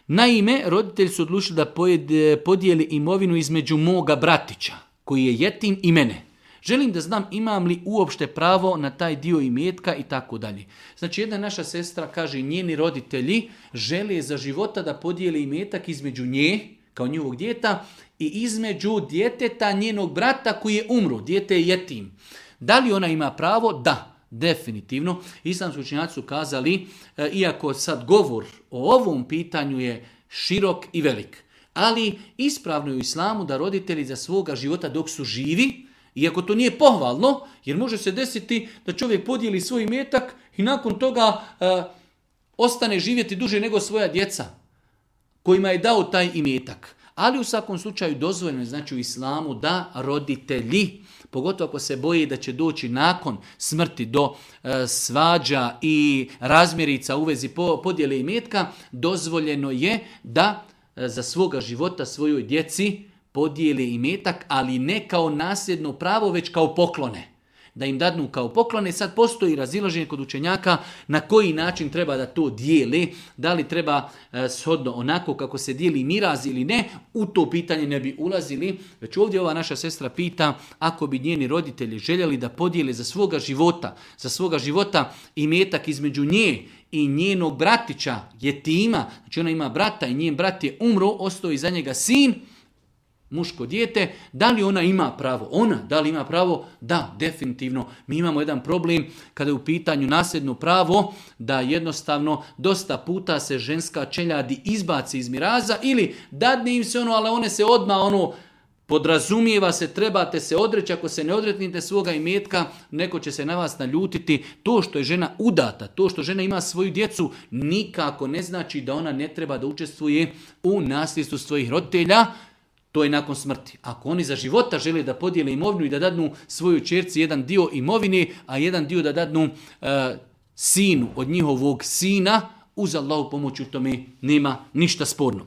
Naime, roditelji su odlučili da podijeli imovinu između moga bratića, koji je jetim, i mene. Želim da znam imam li uopšte pravo na taj dio imetka i tako dalje. Znači, jedna naša sestra kaže, njeni roditelji žele za života da podijeli imetak između nje, kao njihovog djeta, i između djeteta njenog brata koji je umro. Dijete je jetim. Da li ona ima pravo? Da, definitivno. Islamski učenjaci su kazali, iako sad govor o ovom pitanju je širok i velik, ali ispravno je u islamu da roditelji za svoga života dok su živi, iako to nije pohvalno, jer može se desiti da čovjek podijeli svoj imetak i nakon toga ostane živjeti duže nego svoja djeca kojima je dao taj imetak. Ali u svakom slučaju dozvoljeno je, znači, u islamu da roditelji, pogotovo ako se boji da će doći nakon smrti do svađa i razmjerica u vezi podjele imetka, dozvoljeno je da za svoga života svojoj djeci podijeli imetak, ali ne kao nasljedno pravo, već kao poklone. Da im dadnu kao poklone. Sad postoji razilaženje kod učenjaka na koji način treba da to dijeli, da li treba shodno onako kako se dijeli miraz ili ne, u to pitanje ne bi ulazili. Već ovdje ova naša sestra pita, ako bi njeni roditelji željeli da podijele za svoga života imetak između nje i njenog bratića, jetima, znači ona ima brata i njen brat je umro, ostao iza njega sin, muško dijete, da li ona ima pravo? Da li ima pravo? Da, definitivno. Mi imamo jedan problem kada je u pitanju nasljedno pravo, da jednostavno dosta puta se ženska čeljadi izbaci iz miraza ili dadne im se ali one se odmah podrazumijeva se, trebate se odreći, ako se ne odreknete svoga imetka, neko će se na vas naljutiti. To što je žena udata, to što žena ima svoju djecu, nikako ne znači da ona ne treba da učestvuje u nasljedstvu svojih roditelja. To je nakon smrti. Ako oni za života žele da podijele imovinu i da dadnu svojoj ćerci jedan dio imovine, a jedan dio da dadnu sinu od njihovog sina, uz Allahu pomoć u tome nema ništa sporno.